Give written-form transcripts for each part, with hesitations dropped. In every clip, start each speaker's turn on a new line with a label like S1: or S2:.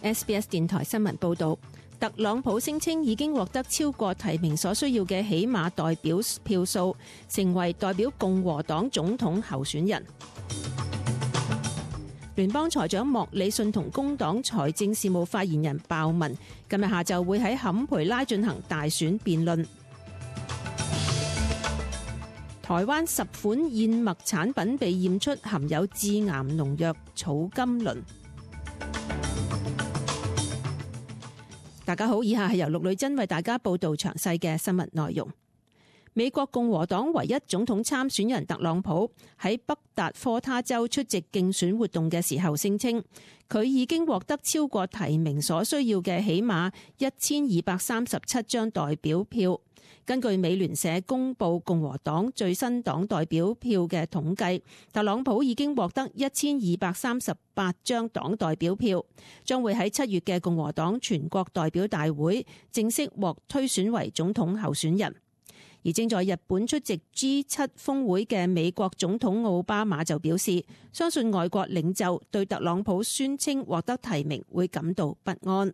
S1: SBS 電台新聞報導，特朗普聲稱已經獲得超過提名所需要嘅起碼代表票數，成為代表共和黨總統候選人。聯邦財長莫里遜同工黨財政事務發言人鮑文今日下晝會喺坎培拉進行大選辯論。台灣10款燕麥產品被驗出含有致癌農藥草甘膦。大家好，以下係由陸女珍為大家報道詳細嘅新聞內容。美國共和黨唯一總統參選人特朗普喺北達科他州出席競選活動嘅時候聲稱，佢已經獲得超過提名所需要嘅起碼1237張代表票。根據美聯社公布共和黨最新黨代表票嘅統計，特朗普已經獲得1238張黨代表票，將會喺7月嘅共和黨全國代表大會正式獲推選為總統候選人。而正在日本出席 G7 峰會嘅美國總統奧巴馬就表示，相信外國領袖對特朗普宣稱獲得提名會感到不安。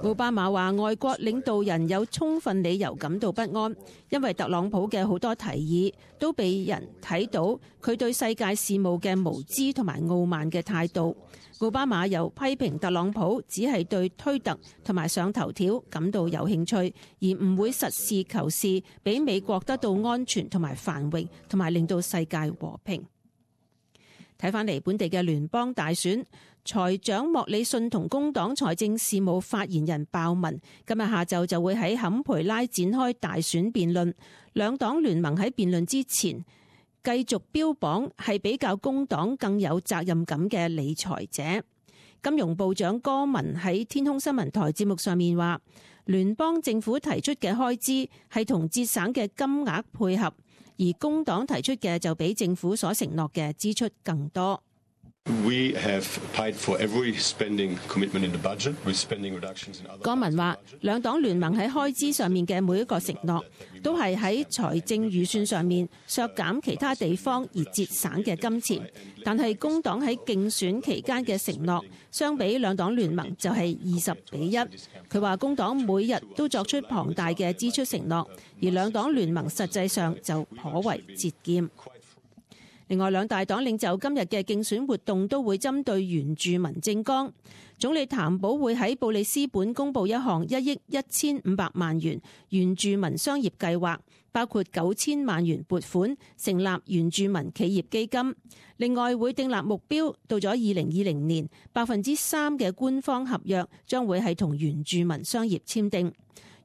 S1: 奧巴馬話外國領導人有充分理由感到不安，因為特朗普嘅好多提議都被人睇到佢對世界事務嘅無知同埋傲慢嘅態度。奧巴馬又批評特朗普只係對推特同埋上頭條感到有興趣，而唔會實事求是俾美國得到安全同埋繁榮，同埋令到世界和平。睇返嚟本地嘅聯邦大選，財長莫里遜同工黨財政事務發言人鮑文今日下晝就會喺坎培拉展開大選辯論。兩黨聯盟喺辯論之前繼續標榜係比較工黨更有責任感嘅理財者。金融部長戈文喺天空新聞台節目上面話，聯邦政府提出嘅開支係同節省嘅金額配合，而工黨提出嘅就比政府所承諾嘅支出更多。戈文話，兩黨聯盟喺開支上面嘅每一個承諾，都係喺財政預算上面削減其他地方而節省嘅金錢。但係工黨喺競選期間嘅承諾，相比兩黨聯盟就係20:1。佢話工黨每日都作出龐大嘅支出承諾，而兩黨聯盟實際上就頗為節儉。另外，兩大黨領袖今日嘅競選活動都會針對原住民政綱。總理譚寶會喺布里斯本公布一項1億1500萬元原住民商業計劃，包括9000萬元撥款成立原住民企業基金。另外會訂立目標，到咗2020年，3%嘅官方合約將會係同原住民商業簽訂。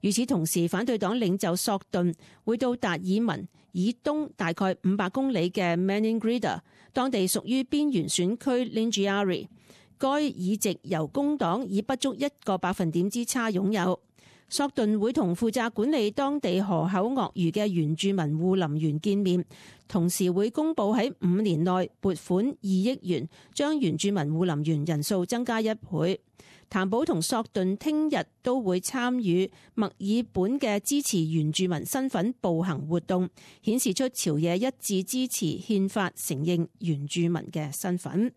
S1: 與此同時，反對黨領袖索頓會到達爾文以東大概500公里嘅 Maningrida， 當地屬於邊緣選區 Lingiari， 該議席由工黨以不足1%之差擁有。索頓會同負責管理當地河口鱷魚嘅原住民護林員見面，同時會公佈喺5年內撥款2億元，將原住民護林員人數增加1倍。譚寶同索頓聽日都會參與墨爾本嘅支持原住民身份步行活動，顯示出朝野一致支持憲法承認原住民嘅身份。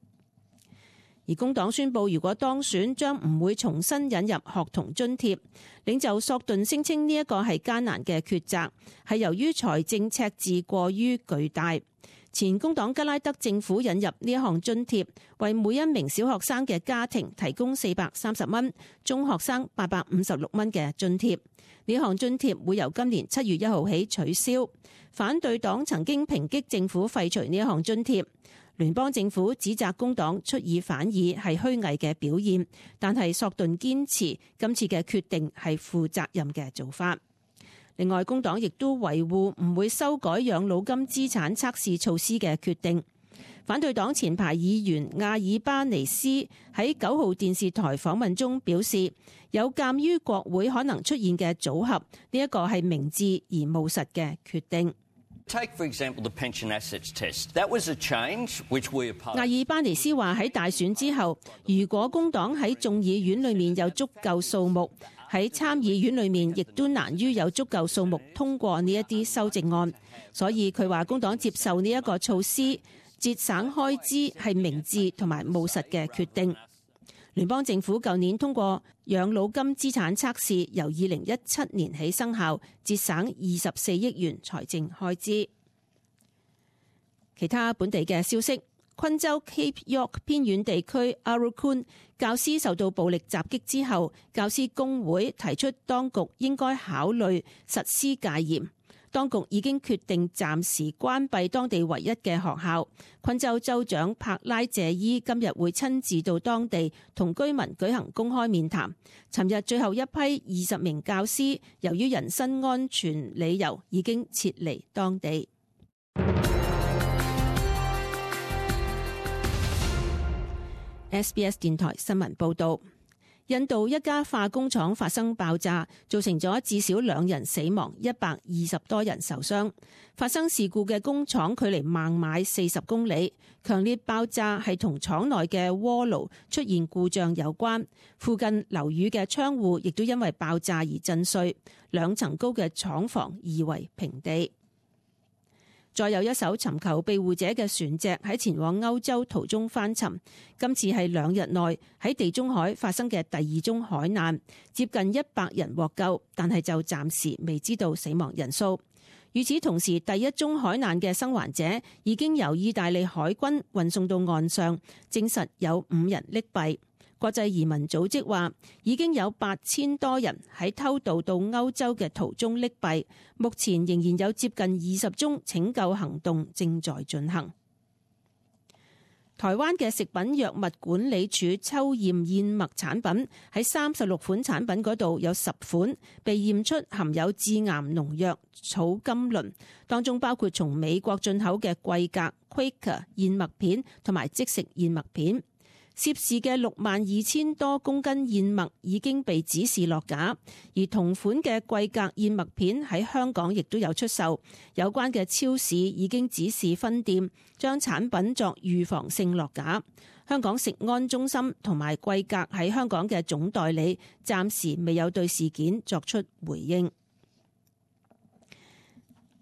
S1: 而工黨宣布，如果當選，將唔會重新引入學童津貼。領袖索頓聲稱呢一個係艱難嘅抉擇，係由於財政赤字過於巨大。前工黨吉拉德政府引入呢一項津貼，為每一名小學生嘅家庭提供430蚊，中學生856蚊嘅津貼。呢項津貼會由今年7月1號起取消。反對黨曾經抨擊政府廢除呢一項津貼。聯邦政府指責工黨出爾反爾係虛偽嘅表現，但係索頓堅持今次嘅決定係負責任嘅做法。另外，工黨亦都維護唔會修改養老金資產測試措施嘅決定。反對黨前排議員亞爾巴尼斯喺9號電視台訪問中表示，有鑑於國會可能出現嘅組合，呢一個係明智而務實嘅決定。
S2: Take, for example, the pension assets test. That was a change which we opposed.
S1: 亞爾巴尼斯話喺大選之後，如果工黨喺眾議院裏面有足夠數目，喺參議院裏面亦都難於有足夠數目通過呢一啲修正案。所以佢話工黨接受呢一個措施，節省開支係明智同埋務實嘅決定。聯邦政府舊年通過養老金資產測試，由2017年起生效，節省24億元財政開支。其他本地嘅消息，昆州 Cape York 偏遠地區 Aurukun 教師受到暴力襲擊之後，教師工會提出當局應該考慮實施戒嚴。當局已經決定暫時關閉當地唯一嘅學校。昆州州長柏拉謝伊今日會親自到當地同居民舉行公開面談。尋日最後一批20名教師由於人身安全理由已經撤離當地。SBS 電台新聞報導。印度一家化工廠發生爆炸，造成咗至少2人死亡，120多人受傷。發生事故嘅工廠距離孟買40公里，強烈爆炸係同廠內嘅鍋爐出現故障有關。附近樓宇嘅窗戶亦都因為爆炸而震碎，2層高嘅廠房夷為平地。再有一艘尋求庇護者嘅船隻喺前往歐洲途中翻沉，今次係2日內喺地中海發生嘅第2宗海難，接近100人獲救，但係就暫時未知道死亡人數。與此同時，第1宗海難嘅生還者已經由意大利海軍運送到岸上，證實有5人溺斃。國際移民組織話，已經有8000多人喺偷渡到歐洲嘅途中溺斃，目前仍然有接近20宗拯救行動正在進行。台灣嘅食品藥物管理處抽驗燕麥產品，喺36款產品嗰度有10款被驗出含有致癌農藥草甘膦，當中包括從美國進口嘅貴格 Quaker 燕麥片同埋即食燕麥片。涉事嘅62000多公斤燕麥已經被指示落架，而同款嘅貴格燕麥片喺香港亦都有出售。有關嘅超市已經指示分店將產品作預防性落架。香港食安中心同埋貴格喺香港嘅總代理暫時未有對事件作出回應。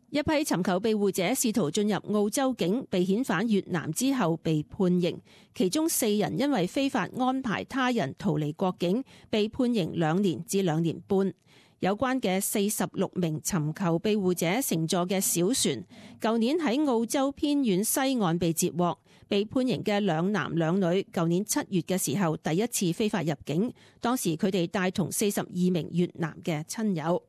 S1: 一批尋求庇護者試圖進入澳洲境，被遣返越南之後被判刑，其中4人因為非法安排他人逃離國境，被判刑2年至2年半。有關嘅46名尋求庇護者乘坐嘅小船，舊年喺澳洲偏遠西岸被截獲，被判刑嘅2男2女，舊年7月嘅時候第一次非法入境，當時佢哋帶同42名越南嘅親友。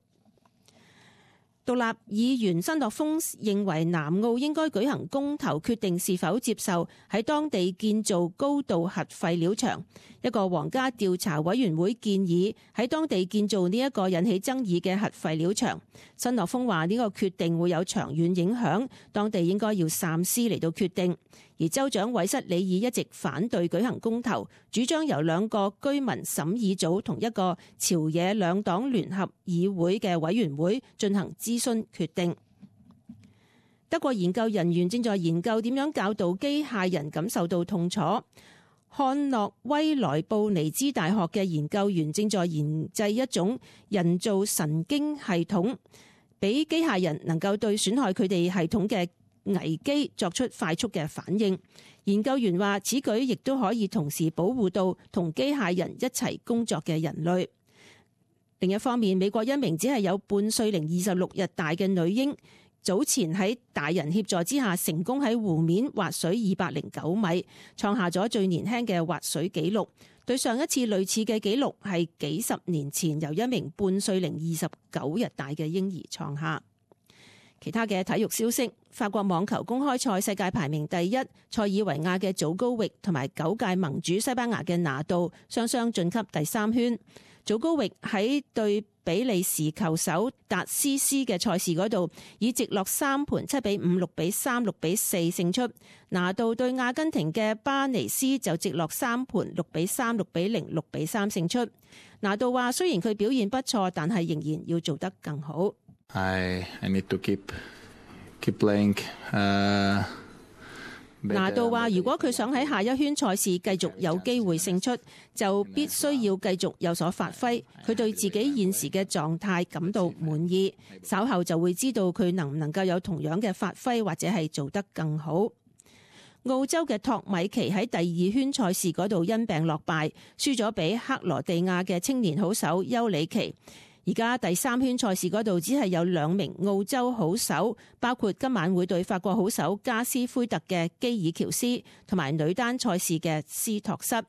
S1: 獨立議員申諾峰認為南澳應該舉行公投，決定是否接受喺當地建造高度核廢料場。一個皇家調查委員會建議喺當地建造呢一個引起爭議嘅核廢料場。申諾峰話呢個決定會有長遠影響，當地應該要三思嚟到決定。而州長韋瑟里爾一直反對舉行公投，主張由2個居民審議組同一個朝野2黨聯合議會嘅委員會進行諮詢決定。德國研究人員正在研究點樣教導機械人感受到痛楚。漢諾威萊布尼茲大學嘅研究員正在研製一種人造神經系統，俾機械人能夠對損害佢哋系統嘅危機作出快速嘅反應。研究員話，此舉亦都可以同時保護到同機械人一齊工作嘅人類。另一方面，美國一名只係有半歲零26日大嘅女嬰，早前喺大人協助之下成功喺湖面滑水209米，創下咗最年輕嘅滑水紀錄。對上一次類似嘅紀錄係幾十年前由一名半歲零29日大嘅嬰兒創下。其他嘅體育消息，法國網球公開賽世界排名第1塞爾維亞嘅祖高域同埋9屆盟主西班牙嘅拿度雙雙晉級第3圈。祖高域喺對比利時球手達斯斯嘅賽事嗰度，以直落3盤7比5、6比3、6比4勝出。拿度對阿根廷嘅巴尼斯就直落3盤6比3、6比0、6比3勝出。拿度話：雖然佢表現不錯，但係仍然要做得更好。
S3: I need to keep playing.
S1: 拿度話：如果佢想喺下一圈賽事繼續有機會勝出，就必須要繼續有所發揮。佢對自己現時嘅狀態感到滿意，稍後就會知道佢能唔能夠有同樣嘅發揮，或者係做得更好。澳洲嘅托米奇喺第二圈賽事嗰度因病落敗，輸咗俾克羅地亞嘅青年好手丘里奇。而家第三圈賽事嗰度只係有2名澳洲好手，包括今晚會對法國好手加斯奎特嘅基爾喬斯，同埋女單賽事嘅斯托瑟。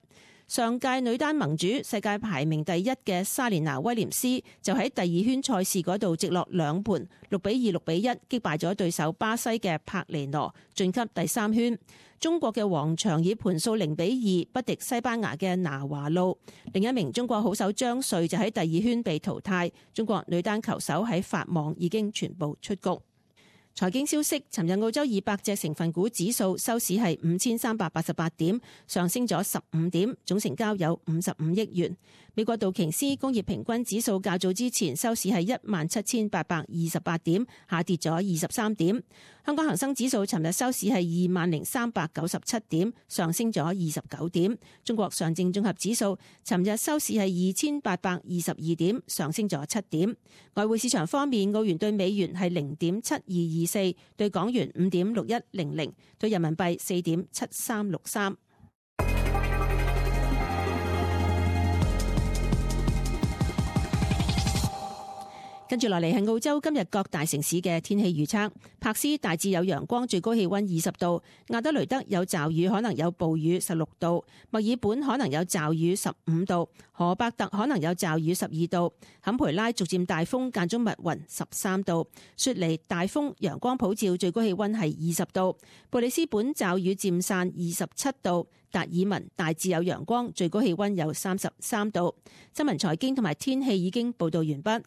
S1: 上屆女單盟主、世界排名第一嘅莎蓮娜威廉斯就喺第二圈賽事嗰度直落2盤6-2、6-1擊敗咗對手巴西嘅帕尼諾，晉級第三圈。中國嘅王翔以盤數0-2不敵西班牙嘅拿華路。另一名中國好手張瑞就喺第二圈被淘汰。中國女單球手喺法網已經全部出局。財經消息，尋日澳洲200隻成分股指數收市係5388點，上升咗15點，總成交有55億元。美國道瓊斯工業平均指數較早之前收市係17828點，下跌咗23點。香港恒生指數尋日收市係20397點，上升咗29點。中國上證綜合指數尋日收市係2822點，上升咗7點。外匯市場方面，澳元對美元係0.7224，對港元5.6100，對人民幣4.7363。跟住落嚟係澳洲今日各大城市嘅天氣預測。柏斯大致有陽光，最高氣溫20度；亞德雷德有驟雨，可能有暴雨16度；墨爾本可能有驟雨15度；荷伯特可能有驟雨12度；坎培拉逐漸大風，間中密雲13度；雪梨大風，陽光普照，最高氣溫係20度；布里斯本驟雨漸散27度；達爾文大致有陽光，最高氣溫有33度。新聞財經同埋天氣已經報道完畢。